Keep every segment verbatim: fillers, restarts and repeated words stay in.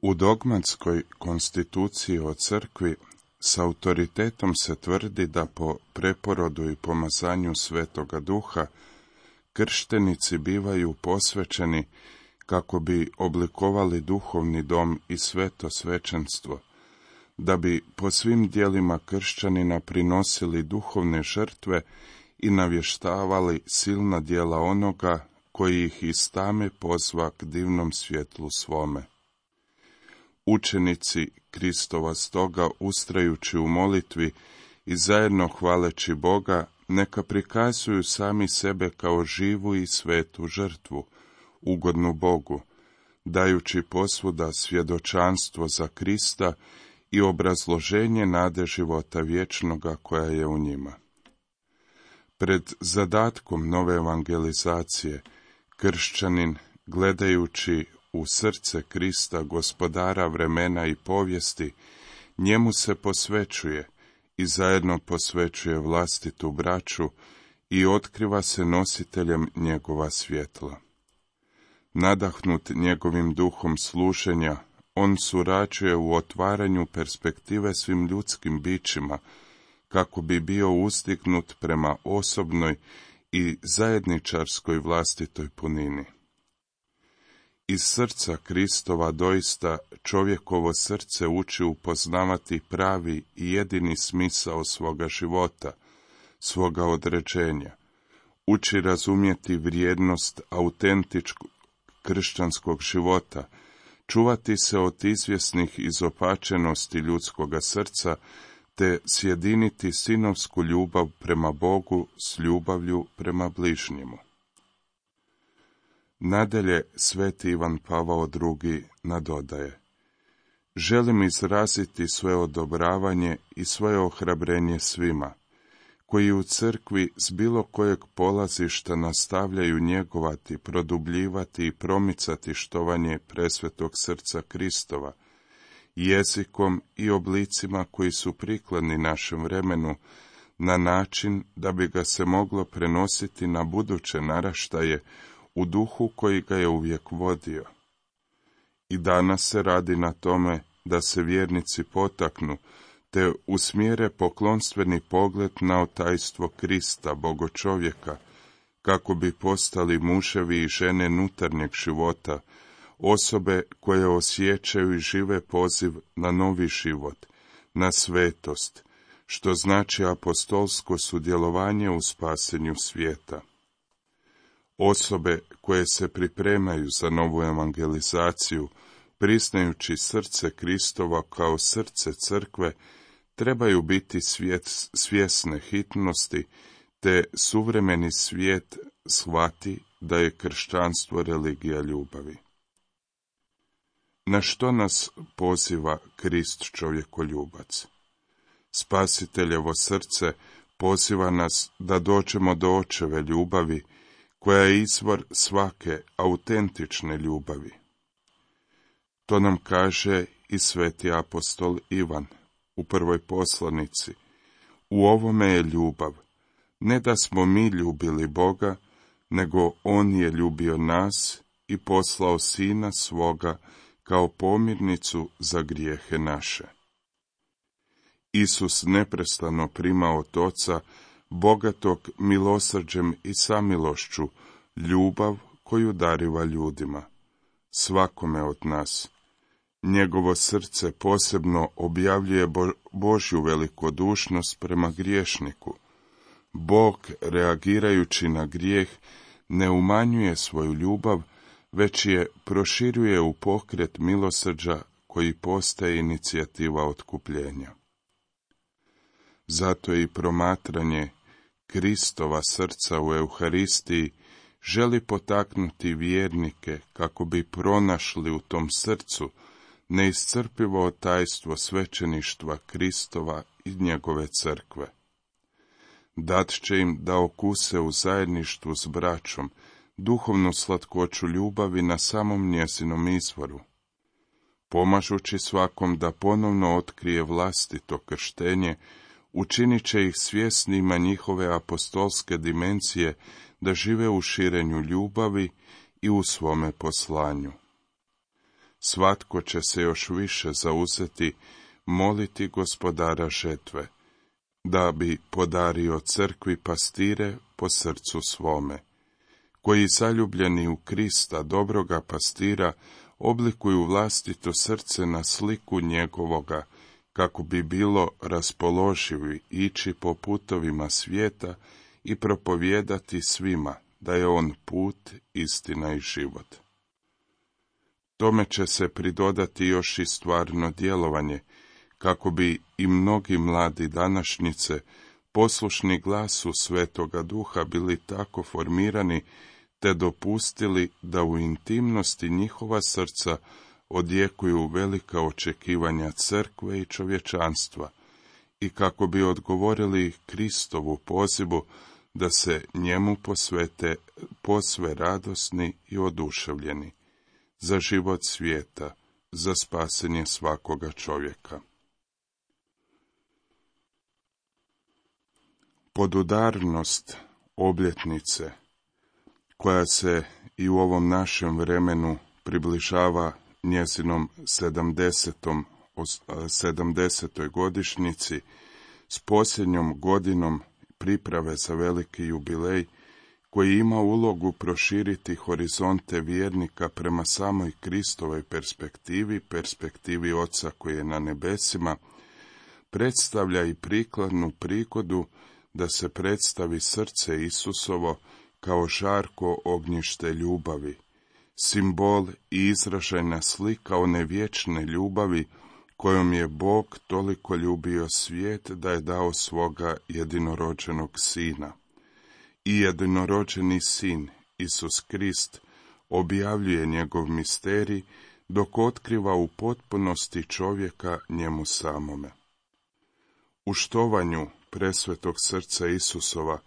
U dogmatskoj konstituciji o crkvi s autoritetom se tvrdi da po preporodu i pomazanju Svetoga Duha krštenici bivaju posvećeni kako bi oblikovali duhovni dom i sveto svećenstvo, da bi po svim dijelima kršćanina prinosili duhovne žrtve i navještavali silna djela onoga koji ih iz tame pozva k divnom svjetlu svome. Učenici Kristova stoga, ustrajući u molitvi i zajedno hvaleći Boga, neka prikazuju sami sebe kao živu i svetu žrtvu, ugodnu Bogu, dajući posvuda svjedočanstvo za Krista i obrazloženje nade života vječnoga koja je u njima. Pred zadatkom nove evangelizacije, kršćanin, gledajući u srce Krista, gospodara vremena i povijesti, njemu se posvećuje i zajedno posvećuje vlastitu braću i otkriva se nositeljem njegova svjetla. Nadahnut njegovim duhom služenja, on surađuje u otvaranju perspektive svim ljudskim bićima, kako bi bio uzdignut prema osobnoj i zajedničarskoj vlastitoj punini. Iz srca Kristova doista čovjekovo srce uči upoznavati pravi i jedini smisao svoga života, svoga određenja, uči razumjeti vrijednost autentičkog kršćanskog života, čuvati se od izvjesnih izopačenosti ljudskoga srca, te sjediniti sinovsku ljubav prema Bogu s ljubavlju prema bližnjemu. Nadalje, sveti Ivan Pavao drugi nadodaje: želim izraziti svoje odobravanje i svoje ohrabrenje svima, koji u crkvi s bilo kojeg polazišta nastavljaju njegovati, produbljivati i promicati štovanje presvetog srca Kristova, jezikom i oblicima koji su prikladni našem vremenu, na način da bi ga se moglo prenositi na buduće naraštaje u duhu koji ga je uvijek vodio. I danas se radi na tome da se vjernici potaknu, te usmjere poklonstveni pogled na otajstvo Krista, Bogočovjeka, kako bi postali muževi i žene nutarnjeg života, osobe koje osjećaju i žive poziv na novi život, na svetost, što znači apostolsko sudjelovanje u spasenju svijeta. Osobe koje se pripremaju za novu evangelizaciju, priznajući srce Kristova kao srce crkve, trebaju biti svijet, svjesne hitnosti, te suvremeni svijet shvati da je kršćanstvo religija ljubavi. Na što nas poziva Krist čovjekoljubac? Spasiteljevo srce poziva nas da dođemo do očeve ljubavi, koja je izvor svake autentične ljubavi. To nam kaže i sveti apostol Ivan u prvoj poslanici: u ovome je ljubav, ne da smo mi ljubili Boga, nego On je ljubio nas i poslao Sina svoga kao pomirnicu za grijehe naše. Isus neprestano prima od Oca, bogatog milosrđem i samilošću, ljubav koju dariva ljudima, svakome od nas. Njegovo srce posebno objavljuje Bo- Božju velikodušnost prema griješniku. Bog, reagirajući na grijeh, ne umanjuje svoju ljubav, već je proširuje u pokret milosrđa koji postaje inicijativa otkupljenja. Zato i promatranje Kristova srca u Euharistiji želi potaknuti vjernike kako bi pronašli u tom srcu neiscrpivo tajstvo svećeništva Kristova i njegove crkve. Dat će im da okuse u zajedništvu s braćom duhovnu slatkoću ljubavi na samom njezinom izvoru. Pomažući svakom da ponovno otkrije vlastito krštenje, učinit će ih svjesnima njihove apostolske dimenzije da žive u širenju ljubavi i u svome poslanju. svatko će se još više zauzeti moliti Gospodara žetve, da bi podario crkvi pastire po srcu svome, koji zaljubljeni u Krista, dobroga pastira, oblikuju vlastito srce na sliku njegovoga, kako bi bilo raspoloživi ići po putovima svijeta i propovijedati svima da je on put, istina i život. Tome će se pridodati još i stvarno djelovanje, kako bi i mnogi mladi današnjice, poslušni glasu Svetoga Duha, bili tako formirani, te dopustili da u intimnosti njihova srca odjekuju velika očekivanja crkve i čovječanstva, i kako bi odgovorili Kristovu pozivu da se njemu posvete posve radosni i oduševljeni, za život svijeta, za spasenje svakoga čovjeka. Podudarnost obljetnice, koja se i u ovom našem vremenu približava njezinom sedamdesetom, sedamdesetoj godišnjici, s posljednjom godinom priprave za veliki jubilej, koji ima ulogu proširiti horizonte vjernika prema samoj Kristovoj perspektivi, perspektivi Oca koji je na nebesima, predstavlja i prikladnu prigodu da se predstavi srce Isusovo kao žarko ognjište ljubavi, simbol i izražajna slika one vječne ljubavi kojom je Bog toliko ljubio svijet da je dao svoga jedinorođenog sina. I jedinorođeni sin, Isus Krist, objavljuje njegov misterij, dok otkriva u potpunosti čovjeka njemu samome. U štovanju presvetog srca Isusova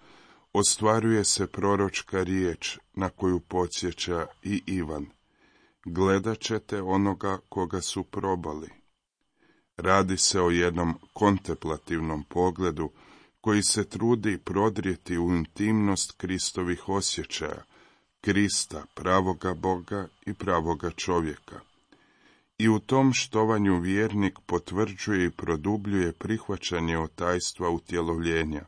ostvaruje se proročka riječ na koju podsjeća i Ivan: gledat ćete onoga koga su probali. Radi se o jednom kontemplativnom pogledu koji se trudi prodrijeti u intimnost Kristovih osjećaja, Krista, pravoga Boga i pravoga čovjeka. I u tom štovanju vjernik potvrđuje i produbljuje prihvaćanje otajstva utjelovljenja,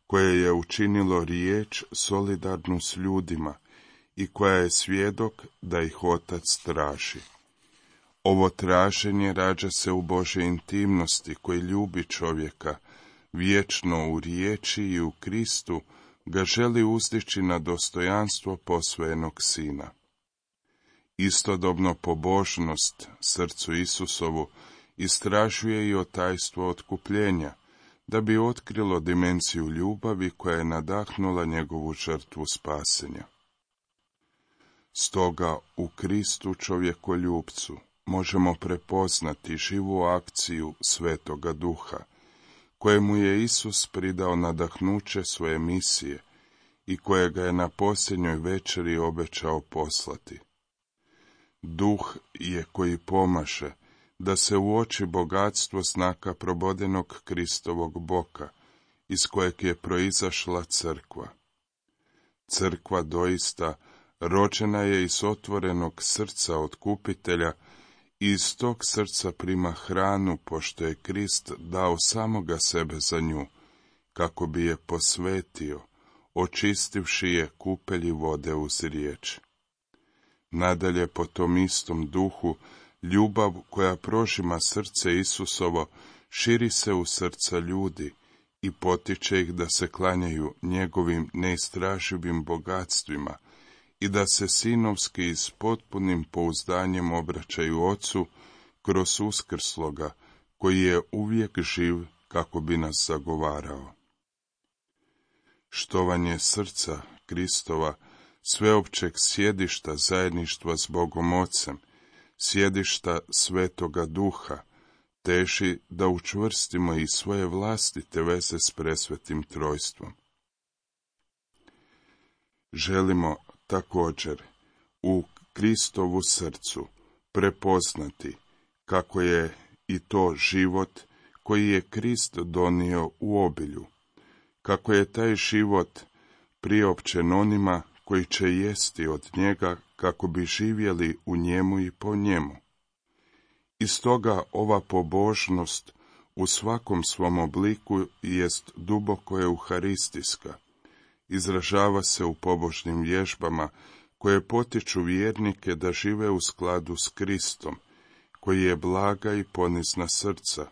koje je učinilo riječ solidarnu s ljudima i koja je svjedok da ih Otac traži. Ovo traženje rađa se u Božje intimnosti koji ljubi čovjeka, vječno u riječi i u Kristu ga želi uzdići na dostojanstvo posvojenog sina. Istodobno pobožnost srcu Isusovu istražuje i otajstvo otkupljenja, da bi otkrilo dimenziju ljubavi koja je nadahnula njegovu žrtvu spasenja. Stoga u Kristu čovjekoljubcu možemo prepoznati živu akciju Svetoga Duha, kojemu je Isus pridao nadahnuće svoje misije i kojega je na posljednjoj večeri obećao poslati. Duh je koji pomaže da se uoči bogatstvo znaka probodenog Kristovog boka, iz kojeg je proizašla crkva. Crkva doista rođena je iz otvorenog srca otkupitelja i iz tog srca prima hranu, pošto je Krist dao samoga sebe za nju, kako bi je posvetio, očistivši je kupelji vode uz riječ. Nadalje, po tom istom duhu, ljubav koja prožima srce Isusovo širi se u srca ljudi i potiče ih da se klanjaju njegovim neistraživim bogatstvima i da se sinovski i s potpunim pouzdanjem obraćaju Ocu kroz uskrsloga, koji je uvijek živ kako bi nas zagovarao. Štovanje srca Kristova, sveopćeg sjedišta zajedništva s Bogom Ocem, sjedišta Svetoga Duha, teži da učvrstimo i svoje vlastite veze s presvetim trojstvom. Želimo također u Kristovu srcu prepoznati kako je i to život koji je Krist donio u obilju, kako je taj život priopćen onima koji će jesti od njega kako bi živjeli u njemu i po njemu, I stoga ova pobožnost u svakom svom obliku jest duboko euharistijska. Izražava se u pobožnim vježbama koje potiču vjernike da žive u skladu s Kristom, koji je blaga i ponizna srca.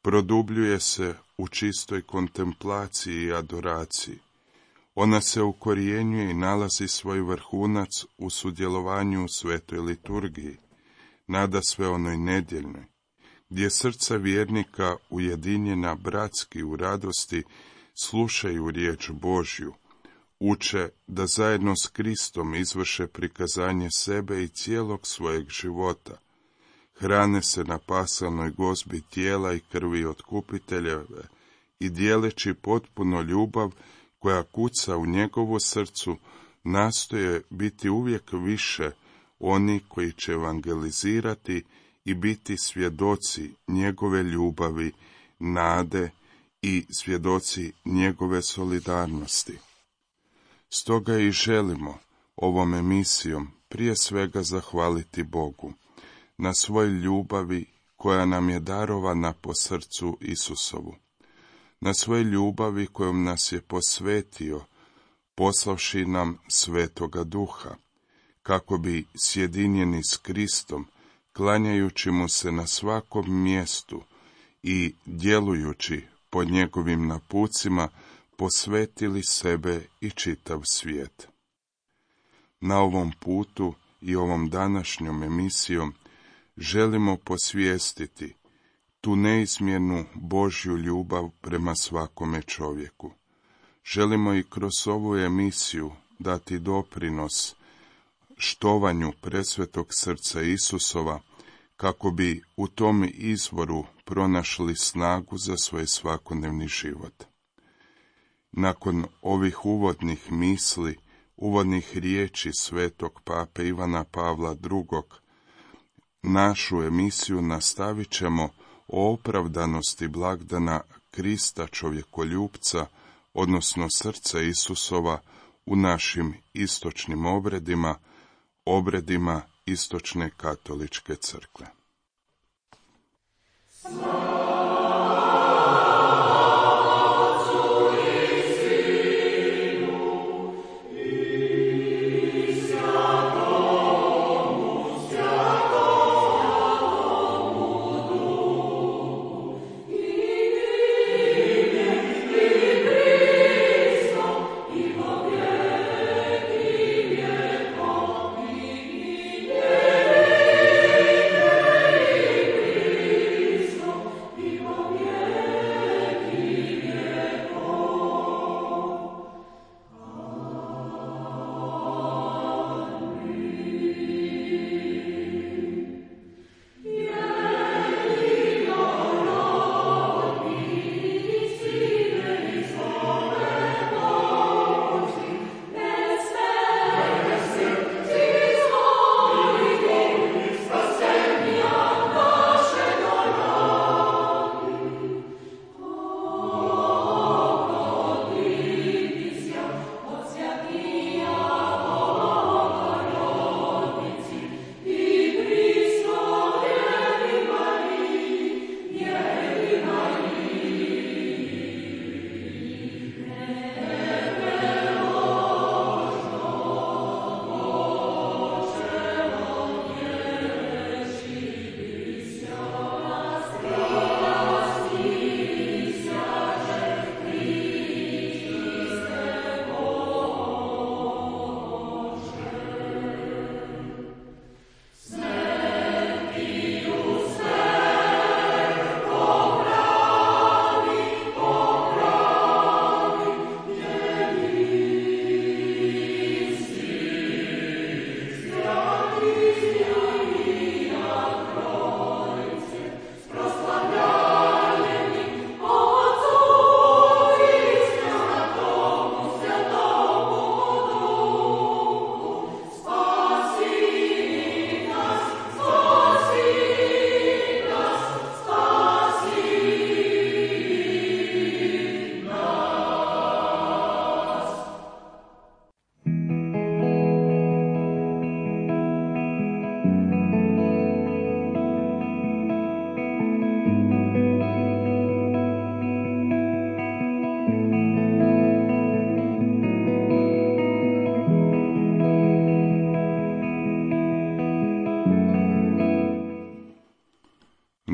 Produbljuje se u čistoj kontemplaciji i adoraciji. Ona se ukorjenjuje i nalazi svoj vrhunac u sudjelovanju u svetoj liturgiji, nadasve onoj nedjeljnoj, gdje srca vjernika ujedinjena bratski u radosti slušaju riječ Božju, uče da zajedno s Kristom izvrše prikazanje sebe i cijelog svojeg života, hrane se na pasalnoj gozbi tijela i krvi otkupiteljeve i dijeleći potpuno ljubav koja kuca u njegovu srcu, nastoje biti uvijek više oni koji će evangelizirati i biti svjedoci njegove ljubavi, nade i svjedoci njegove solidarnosti. Stoga i želimo ovom emisijom prije svega zahvaliti Bogu na svoj ljubavi koja nam je darovana po srcu Isusovu, na svoj ljubavi kojom nas je posvetio, poslavši nam Svetoga Duha, kako bi sjedinjeni s Kristom, klanjajući mu se na svakom mjestu i djelujući po njegovim napucima, posvetili sebe i čitav svijet. Na ovom putu i ovom današnjom emisijom želimo posvijestiti tu neizmjernu Božju ljubav prema svakome čovjeku. Želimo i kroz ovu emisiju dati doprinos štovanju presvetog srca Isusova, kako bi u tom izvoru pronašli snagu za svoj svakodnevni život. Nakon ovih uvodnih misli, uvodnih riječi svetog pape Ivana Pavla drugog, našu emisiju nastavit ćemo o opravdanosti blagdana Krista čovjekoljupca, odnosno srca Isusova, u našim istočnim obredima, obredima istočne katoličke crkve.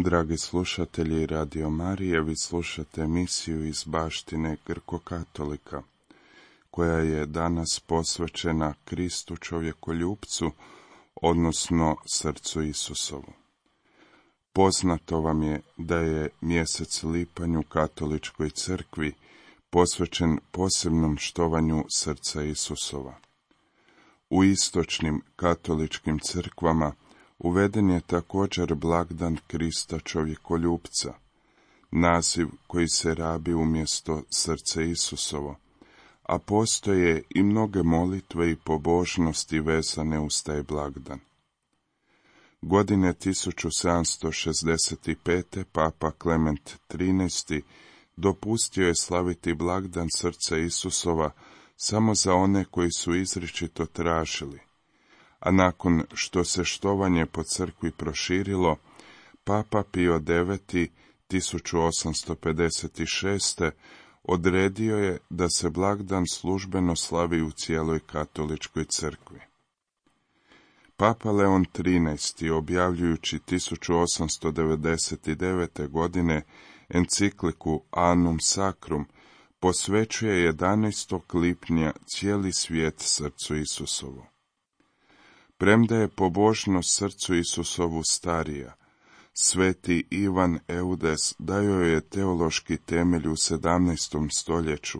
Dragi slušatelji Radio Marije, vi slušate emisiju iz baštine Grko-katolika, koja je danas posvećena Kristu čovjekoljupcu, odnosno srcu Isusovu. Poznato vam je da je mjesec lipanj u katoličkoj crkvi posvećen posebnom štovanju srca Isusova. U istočnim katoličkim crkvama uveden je također blagdan Krista čovjekoljupca, naziv koji se rabi umjesto srce Isusovo, a postoje i mnoge molitve i pobožnosti vezane uz taj blagdan. Godine tisuću sedamsto šezdeset pet. Papa Klement trinaesti. dopustio je slaviti blagdan srca Isusova samo za one koji su izričito tražili, a nakon što se štovanje po crkvi proširilo, Papa Pio deveti. tisuću osamsto pedeset šeste. odredio je da se blagdan službeno slavi u cijeloj katoličkoj crkvi. Papa Leon trinaesti. objavljujući tisuću osamsto devedeset devete. godine encikliku Annum Sacrum, posvećuje jedanaestog lipnja cijeli svijet srcu Isusovu. Premda je pobožnost srcu Isusovu starija, sveti Ivan Eudes dao je teološki temelj u sedamnaestom stoljeću,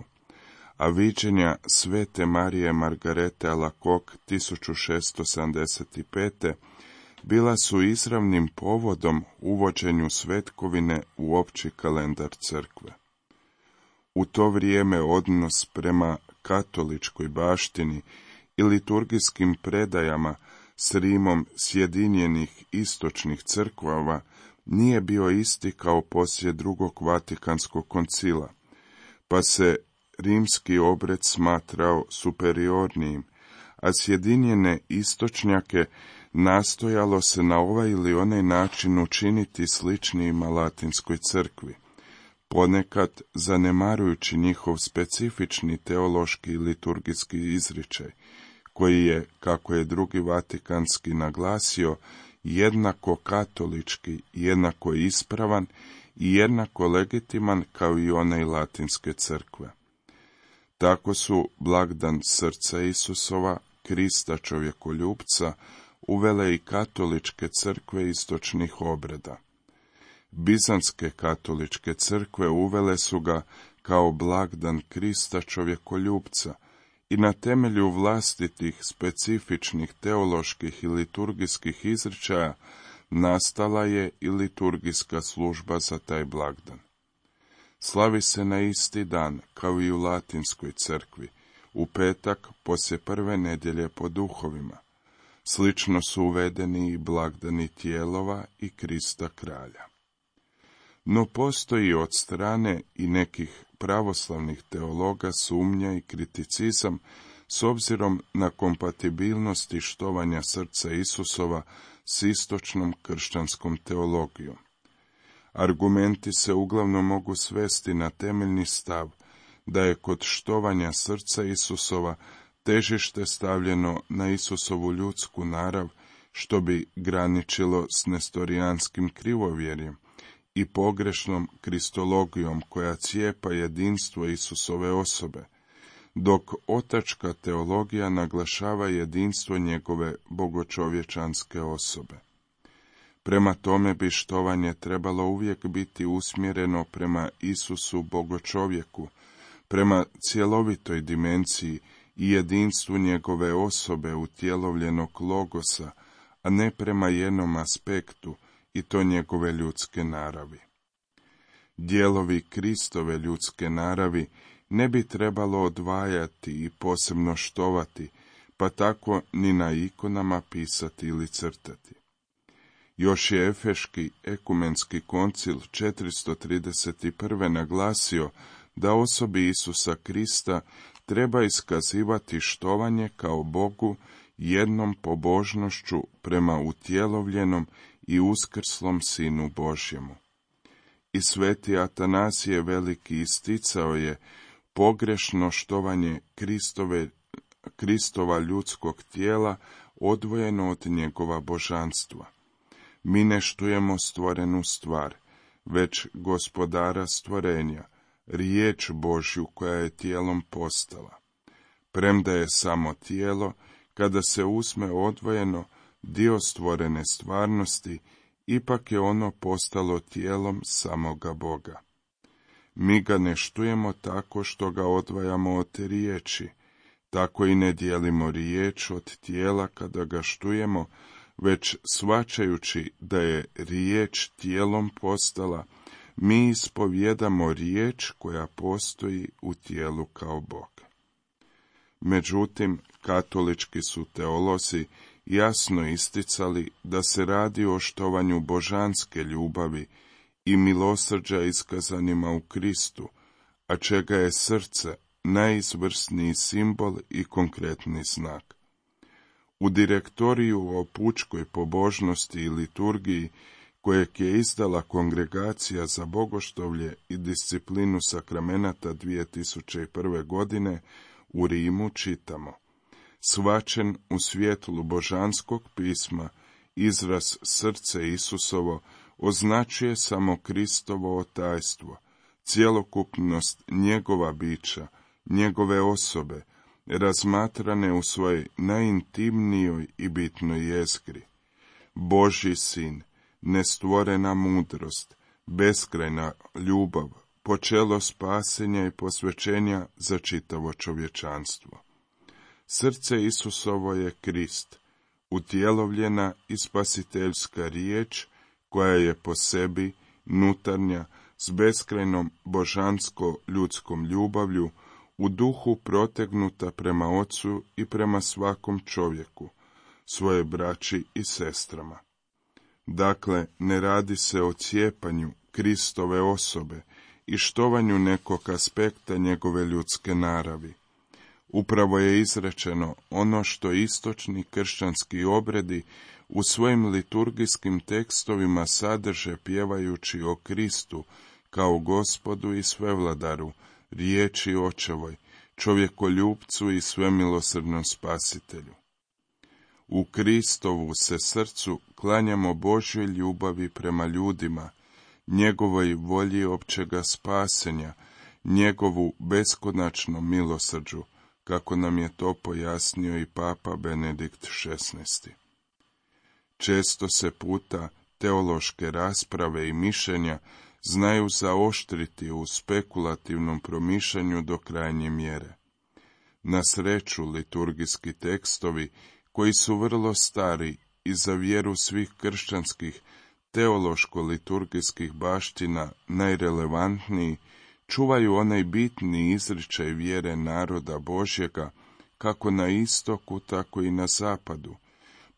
a viđenja svete Marije Margarete Alacoque tisuću šessto sedamdeset pete. bila su izravnim povodom uvođenju svetkovine u opći kalendar crkve. U to vrijeme odnos prema katoličkoj baštini i liturgijskim predajama s Rimom sjedinjenih istočnih crkvava nije bio isti kao poslije drugog Vatikanskog koncila, pa se rimski obred smatrao superiornijim, a sjedinjene istočnjake nastojalo se na ovaj ili onaj način učiniti sličnijima latinskoj crkvi, ponekad zanemarujući njihov specifični teološki i liturgijski izričaj, koji je, kako je drugi Vatikanski naglasio, jednako katolički, jednako ispravan i jednako legitiman kao i onaj latinske crkve. Tako su blagdan srca Isusova, Krista čovjekoljupca, uvele i katoličke crkve istočnih obreda. Bizantske katoličke crkve uvele su ga kao blagdan Krista čovjekoljupca i na temelju vlastitih specifičnih teoloških i liturgijskih izričaja nastala je i liturgijska služba za taj blagdan. Slavi se na isti dan, kao i u latinskoj crkvi, u petak poslije prve nedjelje po duhovima. Slično su uvedeni i blagdani Tijelova i Krista kralja. No postoji od strane i nekih pravoslavnih teologa sumnja i kriticizam s obzirom na kompatibilnost i štovanja srca Isusova s istočnom kršćanskom teologijom. Argumenti se uglavnom mogu svesti na temeljni stav da je kod štovanja srca Isusova težište stavljeno na Isusovu ljudsku narav, što bi graničilo s nestorijanskim krivovjerjem i pogrešnom kristologijom koja cijepa jedinstvo Isusove osobe, dok otačka teologija naglašava jedinstvo njegove bogočovječanske osobe. Prema tome bi štovanje trebalo uvijek biti usmjereno prema Isusu bogočovjeku, prema cjelovitoj dimenziji i jedinstvu njegove osobe utjelovljenog logosa, a ne prema jednom aspektu, i to njegove ljudske naravi. Dijelovi Kristove ljudske naravi ne bi trebalo odvajati i posebno štovati, pa tako ni na ikonama pisati ili crtati. Još je Efeški ekumenski koncil četiristo trideset prve. naglasio da osobi Isusa Krista treba iskazivati štovanje kao Bogu jednom pobožnošću prema utjelovljenom i uskrslom Sinu Božjemu. I sveti Atanasije Veliki isticao je pogrešno štovanje Kristove, Kristova ljudskog tijela odvojeno od njegova božanstva. Mi ne štujemo stvorenu stvar, već gospodara stvorenja, riječ Božju koja je tijelom postala. Premda je samo tijelo, kada se uzme odvojeno, dio stvorene stvarnosti, ipak je ono postalo tijelom samoga Boga. Mi ga ne štujemo tako što ga odvajamo od riječi, tako i ne dijelimo riječ od tijela kada ga štujemo, već shvaćajući da je riječ tijelom postala, mi ispovjedamo riječ koja postoji u tijelu kao Bog. Međutim, katolički su teolozi jasno isticali da se radi o štovanju božanske ljubavi i milosrđa iskazanima u Kristu, a čega je srce najizvrsniji simbol i konkretni znak. U direktoriju o pučkoj pobožnosti i liturgiji, kojeg je izdala Kongregacija za bogoštovlje i disciplinu sakramenata dvije tisuće prve. godine, u Rimu čitamo: shvaćen u svjetlu božanskog pisma, izraz srce Isusovo označuje samo Kristovo tajstvo, cjelokupnost njegova bića, njegove osobe, razmatrane u svojoj najintimnijoj i bitnoj jezgri. Božji sin, nestvorena mudrost, beskrajna ljubav, počelo spasenja i posvećenja za čitavo čovječanstvo. Srce Isusovo je Krist, utjelovljena i spasiteljska riječ koja je po sebi nutarnja s beskrajnom božansko-ljudskom ljubavlju u duhu protegnuta prema Ocu i prema svakom čovjeku, svoje braći i sestrama. Dakle, ne radi se o cijepanju Kristove osobe i štovanju nekog aspekta njegove ljudske naravi. Upravo je izrečeno ono što istočni kršćanski obredi u svojim liturgijskim tekstovima sadrže pjevajući o Kristu kao Gospodu i Svevladaru, riječi Očevoj, čovjekoljupcu i svemilosrdnom Spasitelju. U Kristovu se srcu klanjamo Božjoj ljubavi prema ljudima, njegovoj volji općega spasenja, njegovu beskonačnom milosrđu, kako nam je to pojasnio i Papa Benedikt šesnaesti. Često se puta teološke rasprave i mišljenja znaju zaoštriti u spekulativnom promišljanju do krajnje mjere. Na sreću, liturgijski tekstovi, koji su vrlo stari i za vjeru svih kršćanskih teološko-liturgijskih baština najrelevantniji, čuvaju onaj bitni izričaj vjere naroda Božjega, kako na istoku, tako i na zapadu,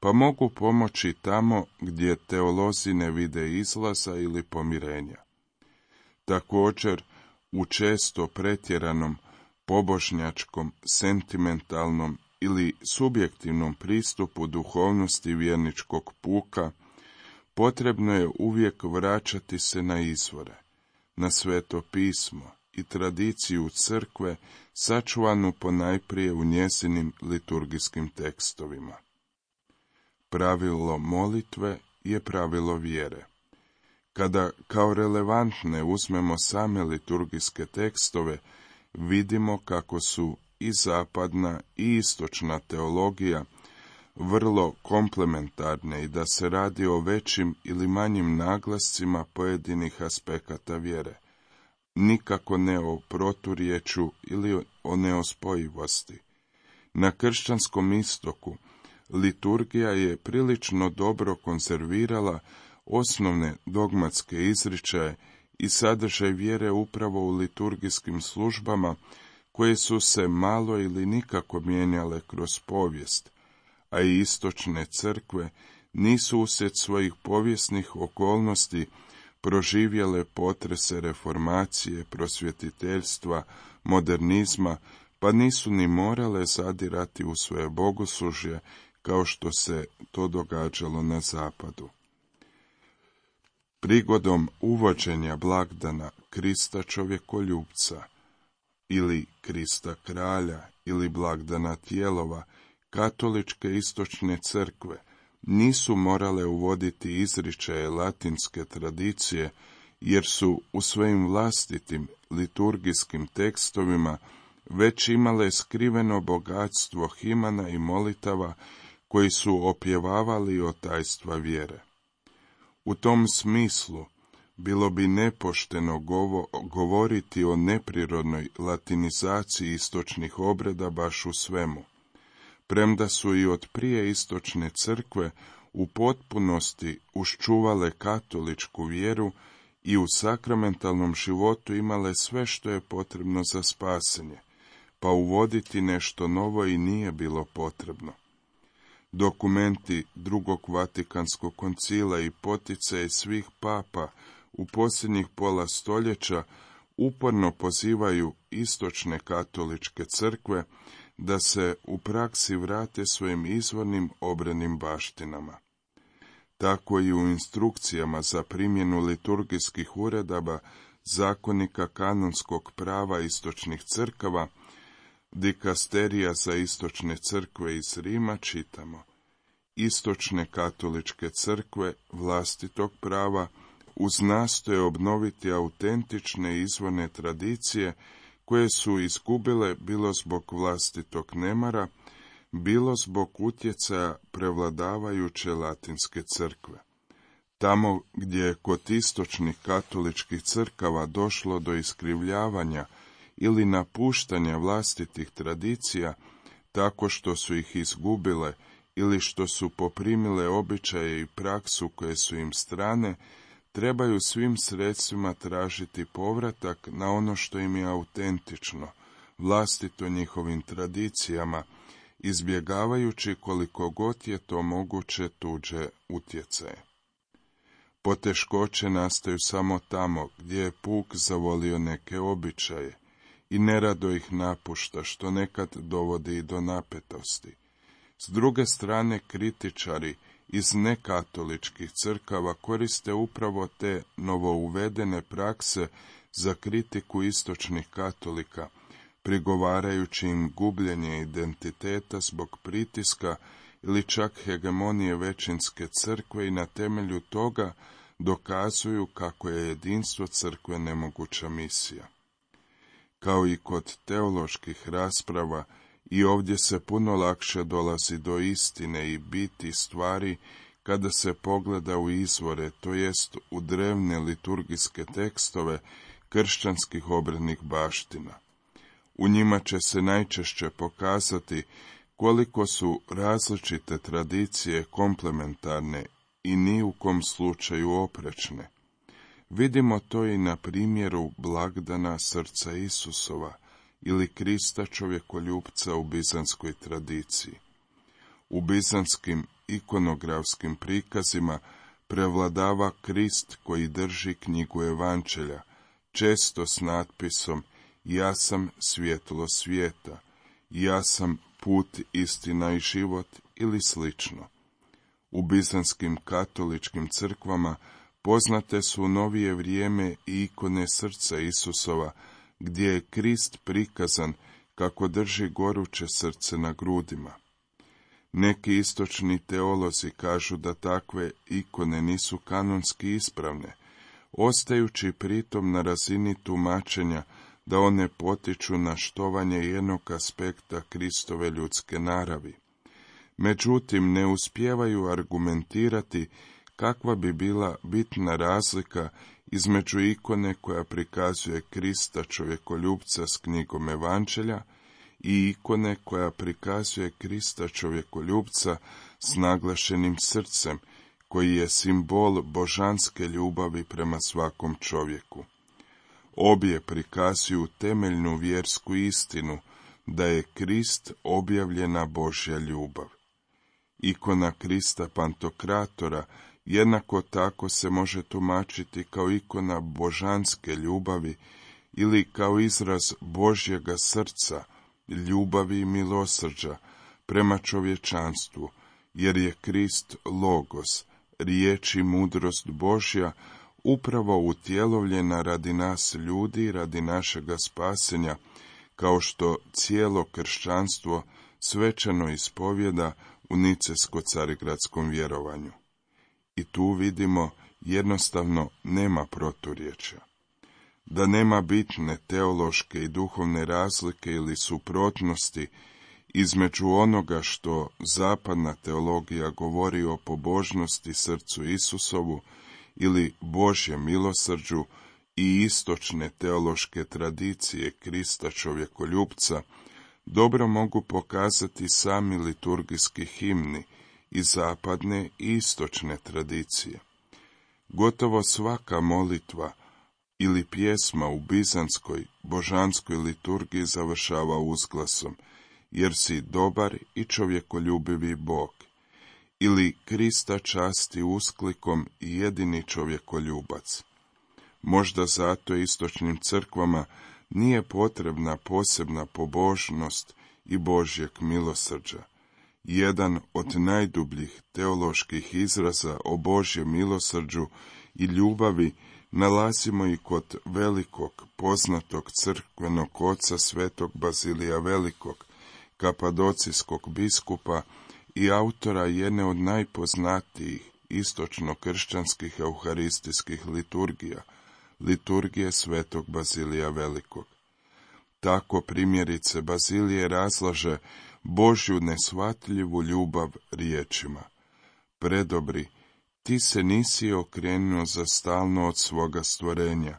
pa mogu pomoći tamo gdje teolozi ne vide izlaza ili pomirenja. Također, u često pretjeranom, pobožnjačkom, sentimentalnom ili subjektivnom pristupu duhovnosti vjerničkog puka, potrebno je uvijek vraćati se na izvore, na Sveto pismo i tradiciju crkve sačuvanu ponajprije u njezinim liturgijskim tekstovima. Pravilo molitve je pravilo vjere. Kada kao relevantne uzmemo same liturgijske tekstove, vidimo kako su i zapadna i istočna teologija vrlo komplementarne i da se radi o većim ili manjim naglascima pojedinih aspekata vjere, nikako ne o proturječju ili o neospojivosti. Na kršćanskom istoku liturgija je prilično dobro konzervirala osnovne dogmatske izričaje i sadržaj vjere upravo u liturgijskim službama koje su se malo ili nikako mijenjale kroz povijest, a i istočne crkve nisu uslijed svojih povijesnih okolnosti proživjele potrese reformacije, prosvjetiteljstva, modernizma, pa nisu ni morale zadirati u svoje bogoslužje kao što se to događalo na zapadu. Prigodom uvođenja blagdana Krista čovjekoljupca ili Krista kralja ili blagdana tijelova, katoličke istočne crkve nisu morale uvoditi izričaje latinske tradicije, jer su u svojim vlastitim liturgijskim tekstovima već imale skriveno bogatstvo himana i molitava koji su opjevavali o tajstva vjere. U tom smislu bilo bi nepošteno govo, govoriti o neprirodnoj latinizaciji istočnih obreda baš u svemu, premda su i od prije istočne crkve u potpunosti uščuvale katoličku vjeru i u sakramentalnom životu imale sve što je potrebno za spasenje, pa uvoditi nešto novo i nije bilo potrebno. Dokumenti drugog Vatikanskog koncila i poticaje svih papa u posljednjih pola stoljeća uporno pozivaju istočne katoličke crkve da se u praksi vrate svojim izvornim obrednim baštinama. Tako i u instrukcijama za primjenu liturgijskih uredaba zakonika kanonskog prava istočnih crkava, dikasterija za istočne crkve iz Rima čitamo: istočne katoličke crkve vlastitog prava uz nastoje obnoviti autentične izvorne tradicije koje su izgubile bilo zbog vlastitog nemara, bilo zbog utjecaja prevladavajuće latinske crkve. Tamo gdje je kod istočnih katoličkih crkava došlo do iskrivljavanja ili napuštanja vlastitih tradicija, tako što su ih izgubile ili što su poprimile običaje i praksu koje su im strane, trebaju svim sredstvima tražiti povratak na ono što im je autentično, vlastito njihovim tradicijama, izbjegavajući koliko god je to moguće tuđe utjecaje. Poteškoće nastaju samo tamo gdje je puk zavolio neke običaje i nerado ih napušta, što nekad dovodi i do napetosti. S druge strane, kritičari iz nekatoličkih crkava koriste upravo te novouvedene prakse za kritiku istočnih katolika, prigovarajući im gubljenje identiteta zbog pritiska ili čak hegemonije većinske crkve i na temelju toga dokazuju kako je jedinstvo crkve nemoguća misija. Kao i kod teoloških rasprava, i ovdje se puno lakše dolazi do istine i biti stvari kada se pogleda u izvore, to jest u drevne liturgijske tekstove kršćanskih obrednih baština. U njima će se najčešće pokazati koliko su različite tradicije komplementarne i ni u kom slučaju oprečne. Vidimo to i na primjeru blagdana srca Isusova ili Krista čovjekoljupca u bizanskoj tradiciji. U bizanskim ikonografskim prikazima prevladava Krist koji drži knjigu Evanđelja, često s natpisom "Ja sam svjetlo svijeta", "Ja sam put, istina i život" ili slično. U bizanskim katoličkim crkvama poznate su u novije vrijeme i ikone srca Isusova, gdje je Krist prikazan kako drži goruće srce na grudima. Neki istočni teolozi kažu da takve ikone nisu kanonski ispravne, ostajući pritom na razini tumačenja da one potiču na štovanje jednog aspekta Kristove ljudske naravi. Međutim, ne uspijevaju argumentirati kakva bi bila bitna razlika između ikone koja prikazuje Krista čovjekoljupca s knjigom Evanđelja i ikone koja prikazuje Krista čovjekoljupca s naglašenim srcem, koji je simbol božanske ljubavi prema svakom čovjeku. Obje prikazuju temeljnu vjersku istinu da je Krist objavljena Božja ljubav. Ikona Krista Pantokratora jednako tako se može tumačiti kao ikona božanske ljubavi ili kao izraz Božjega srca, ljubavi i milosrđa prema čovječanstvu, jer je Krist logos, riječ i mudrost Božja, upravo utjelovljena radi nas ljudi i radi našega spasenja, kao što cijelo kršćanstvo svečano ispovjeda u nicejsko-carigradskom vjerovanju. I tu vidimo jednostavno nema proturječja. Da nema bitne teološke i duhovne razlike ili suprotnosti između onoga što zapadna teologija govori o pobožnosti srcu Isusovu ili Božjem milosrđu i istočne teološke tradicije Krista čovjekoljupca, dobro mogu pokazati sami liturgijski himni i zapadne i istočne tradicije. Gotovo svaka molitva ili pjesma u bizanskoj božanskoj liturgiji završava uzglasom jer si dobar i čovjekoljubivi Bog, ili Krista časti usklikom i jedini čovjekoljubac. Možda zato istočnim crkvama nije potrebna posebna pobožnost i Božjeg milosrđa. Jedan od najdubljih teoloških izraza o Božjem milosrđu i ljubavi nalazimo i kod velikog poznatog crkvenog oca svetog Bazilija Velikog, kapadocijskog biskupa i autora jedne od najpoznatijih istočno-kršćanskih euharistijskih liturgija, liturgije svetog Bazilija Velikog. Tako primjerice Bazilije razlaže Božju nesvatljivu ljubav riječima: predobri, ti se nisi okrenuo za stalno od svoga stvorenja,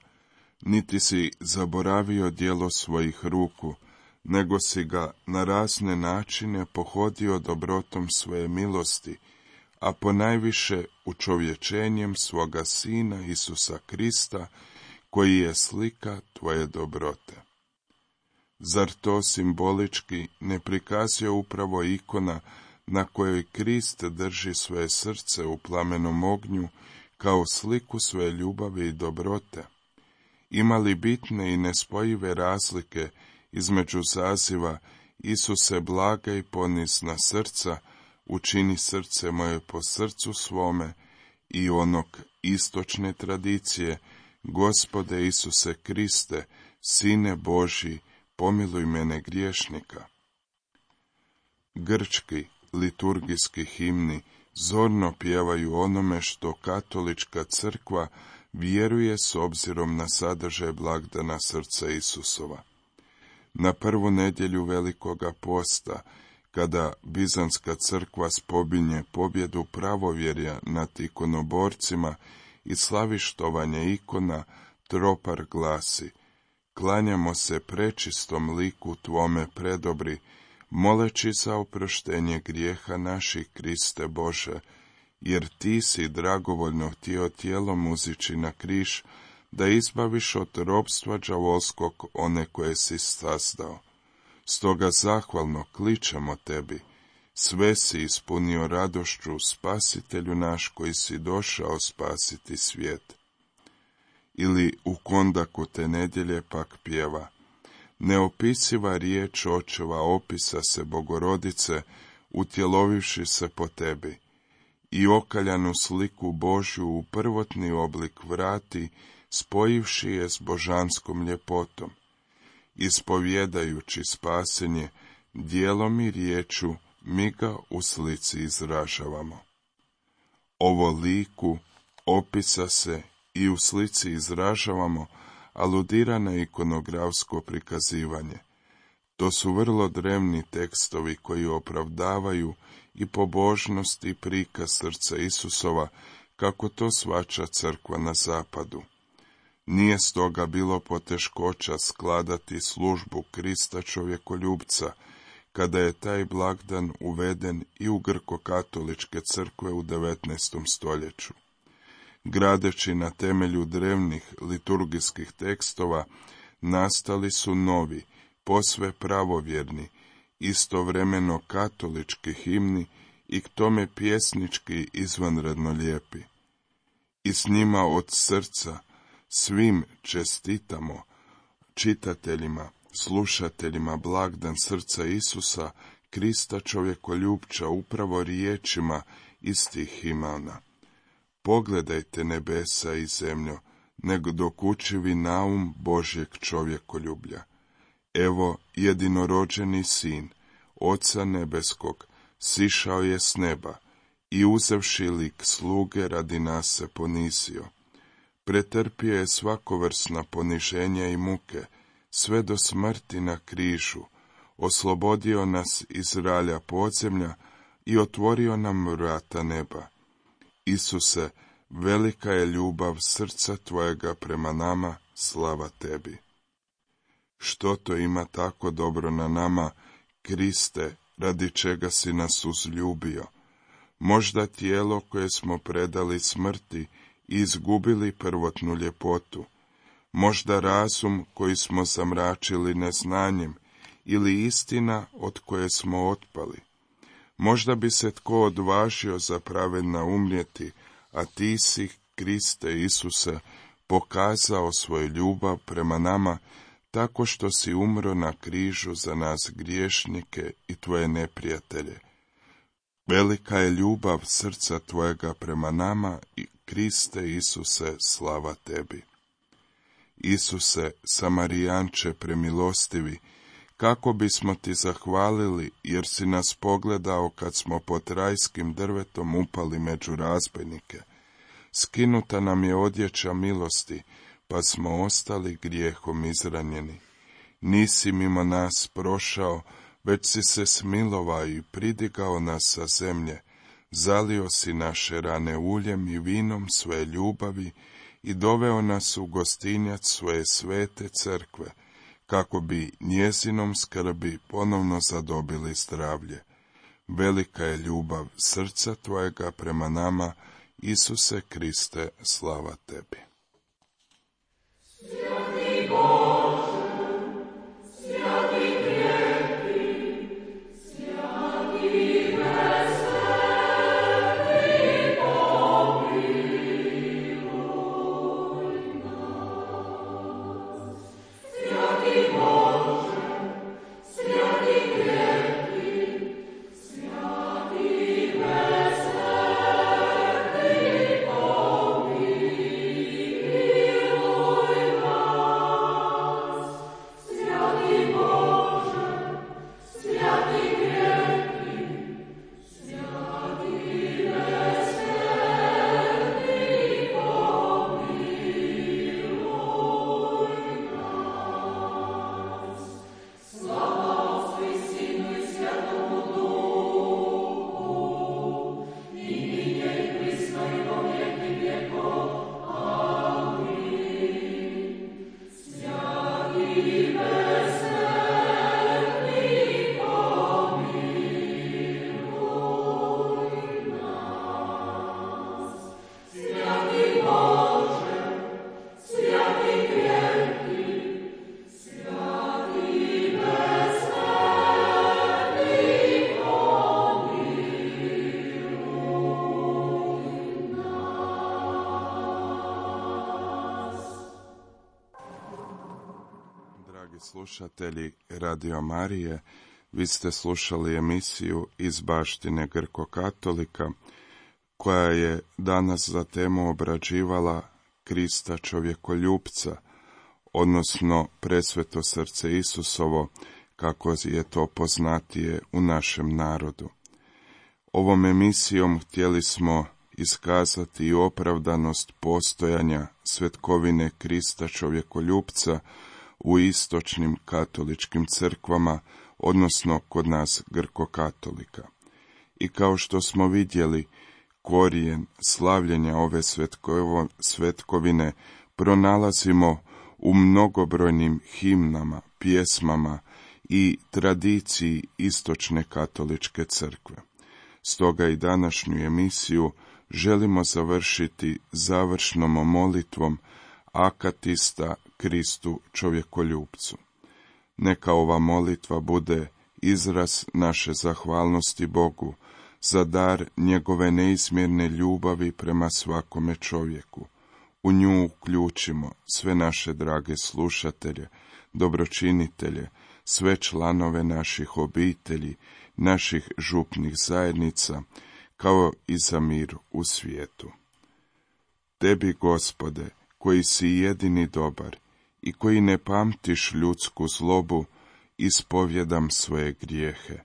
niti si zaboravio djelo svojih ruku, nego si ga na razne načine pohodio dobrotom svoje milosti, a ponajviše učovječenjem svoga Sina Isusa Krista, koji je slika tvoje dobrote. Zar to simbolički ne prikazuje upravo ikona na kojoj Krist drži svoje srce u plamenom ognju kao sliku svoje ljubavi i dobrote? Ima li bitne i nespojive razlike između zaziva Isuse blaga i ponizna srca, učini srce moje po srcu svome, i onog istočne tradicije: Gospode Isuse Kriste, Sine Božji, pomiluj mene griješnika? Grčki liturgijski himni zorno pjevaju onome što katolička crkva vjeruje s obzirom na sadržaj blagdana srca Isusova. Na prvu nedjelju Velikoga posta, kada Bizanska crkva spominje pobjedu pravovjerja nad ikonoborcima i slavi štovanje ikona, tropar glasi: klanjamo se prečistom liku tvome predobri, moleći za oproštenje grijeha naših, Kriste Bože, jer ti si dragovoljno htio tijelom uzići na križ, da izbaviš od ropstva đavolskog one koje si sazdao. Stoga zahvalno kličemo tebi, sve si ispunio radošću, Spasitelju naš, koji si došao spasiti svijet. Ili u kondaku te nedjelje pak pjeva: neopisiva riječ očeva opisa se Bogorodice, utjelovivši se po tebi, i okaljanu sliku Božju u prvotni oblik vrati, spojivši je s božanskom ljepotom. Ispovjedajući spasenje, djelom i riječu mi ga u slici izražavamo. Ovo liku, opisa se i u slici izražavamo aludira na ikonografsko prikazivanje. To su vrlo drevni tekstovi koji opravdavaju i pobožnost i prikaz srca Isusova, kako to shvaća crkva na zapadu. Nije stoga bilo poteškoća skladati službu Krista čovjekoljupca, kada je taj blagdan uveden i u grko-katoličke crkve u devetnaestom stoljeću. Gradeći na temelju drevnih liturgijskih tekstova, nastali su novi, posve pravovjerni, istovremeno katolički himni i k tome pjesnički izvanredno lijepi. I s njima od srca svim čestitamo, čitateljima, slušateljima blagdan srca Isusa, Krista čovjekoljupča, upravo riječima istih himana. Pogledajte nebesa i zemljo, nego dokučivi naum Božjeg čovjekoljublja. Evo jedinorođeni Sin, Oca nebeskog, sišao je s neba i uzevši lik sluge radi nas se ponizio. Pretrpio je svakovrsna poniženja i muke, sve do smrti na križu, oslobodio nas iz ralja podzemlja i otvorio nam vrata neba. Isuse, velika je ljubav srca Tvojega prema nama, slava Tebi. Što to ima tako dobro na nama, Kriste, radi čega si nas uzljubio? Možda tijelo koje smo predali smrti i izgubili prvotnu ljepotu, možda razum koji smo zamračili neznanjem ili istina od koje smo otpali. Možda bi se tko odvažio za pravedna umrijeti, a ti si, Kriste Isuse, pokazao svoju ljubav prema nama tako što si umro na križu za nas griješnike i Tvoje neprijatelje. Velika je ljubav srca Tvojega prema nama i Kriste Isuse, slava Tebi. Isuse, Samarijanče premilostivi, kako bismo Ti zahvalili, jer si nas pogledao kad smo pod rajskim drvetom upali među razbojnike. Skinuta nam je odjeća milosti, pa smo ostali grijehom izranjeni. Nisi mimo nas prošao, već si se smilovao i pridigao nas sa zemlje, zalio si naše rane uljem i vinom svoje ljubavi i doveo nas u gostinjac svoje svete crkve, kako bi njezinom skrbi ponovno zadobili zdravlje. Velika je ljubav srca Tvojega prema nama, Isuse Kriste, slava Tebi. Sveti Bože, sveti krepki, sveti veseli, pomiluj nas. Sveti Bože, sveti krepki, sveti veseli, pomiluj nas. Sveti Bože, sveti krepki, sveti veseli, pomiluj nas. Slava Otcu i Sinu i Svetomu Duhu, i nije i prisno i po vijeki vjekov. Amin. Sveti veseli, pomiluj nas. Sveti Bože, sveti krepki, sveti veseli, pomiluj nas. Dragi slušatelji Radio Marije, vi ste slušali emisiju iz baštine Grko-katolika, koja je danas za temu obrađivala Krista čovjekoljupca, odnosno presveto srce Isusovo, kako je to poznatije u našem narodu. Ovom emisijom htjeli smo iskazati i opravdanost postojanja svetkovine Krista čovjekoljupca u istočnim katoličkim crkvama, odnosno kod nas Grko-katolika. I kao što smo vidjeli, korijen slavljenja ove svetkovo, svetkovine pronalazimo u mnogobrojnim himnama, pjesmama i tradiciji istočne katoličke crkve. Stoga i današnju emisiju želimo završiti završnom molitvom akatista Kristu čovjekoljupcu. Neka ova molitva bude izraz naše zahvalnosti Bogu za dar njegove neizmjerne ljubavi prema svakome čovjeku. U nju uključimo sve naše drage slušatelje, dobročinitelje, sve članove naših obitelji, naših župnih zajednica, kao i za mir u svijetu. Tebi, Gospode, koji si jedini dobar i koji ne pamtiš ljudsku zlobu, ispovjedam svoje grijehe.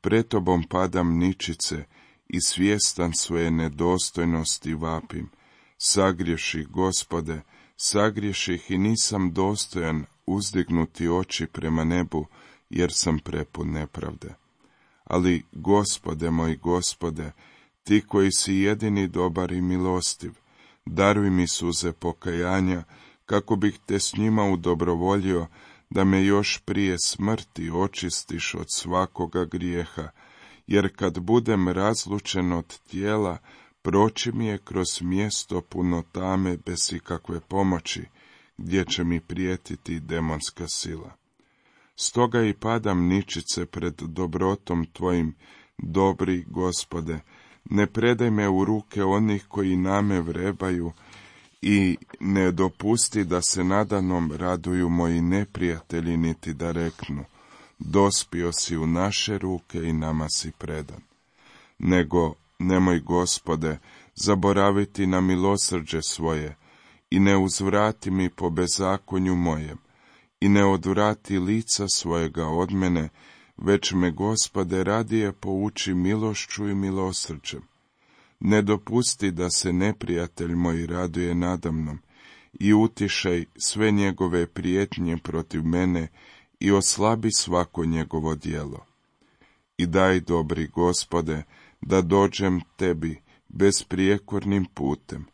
pred tobom padam ničice i svjestan svoje nedostojnosti vapim. Sagriješih, Gospode, sagriješih i nisam dostojan uzdignuti oči prema nebu, jer sam prepun nepravde. Ali, Gospode moj Gospode, ti koji si jedini dobar i milostiv, daruj mi suze pokajanja, kako bih te s njima udobrovoljio, da me još prije smrti očistiš od svakoga grijeha, jer kad budem razlučen od tijela, proći mi je kroz mjesto puno tame bez ikakve pomoći, gdje će mi prijetiti demonska sila. Stoga i padam ničice pred dobrotom tvojim, dobri Gospode, ne predaj me u ruke onih koji na me vrebaju i ne dopusti da se nadanom raduju moji neprijatelji, niti da reknu, dospio si u naše ruke i nama si predan. Nego, nemoj, Gospode, zaboraviti na milosrđe svoje i ne uzvrati mi po bezakonju mojem i ne odvrati lica svojega od mene, već me, Gospode, radije pouči milošću i milosrđem. Ne dopusti da se neprijatelj moj raduje nadamnom i utišaj sve njegove prijetnje protiv mene i oslabi svako njegovo djelo. I daj, dobri Gospode, da dođem tebi besprijekornim putem.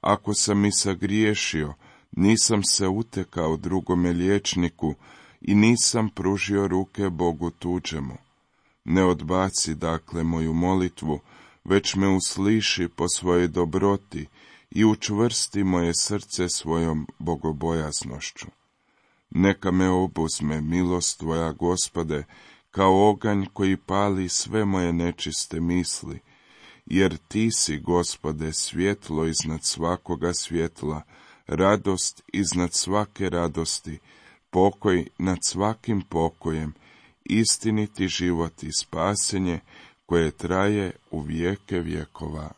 Ako sam i sagriješio, nisam se utekao drugome liječniku i nisam pružio ruke Bogu tuđemu. Ne odbaci, dakle, moju molitvu, već me usliši po svojoj dobroti i učvrsti moje srce svojom bogobojaznošću. Neka me obuzme milost tvoja, Gospode, kao oganj koji pali sve moje nečiste misli, jer ti si, Gospode, svjetlo iznad svakoga svjetla, radost iznad svake radosti, pokoj nad svakim pokojem, istiniti život i spasenje koje traje u vijeke vjekova.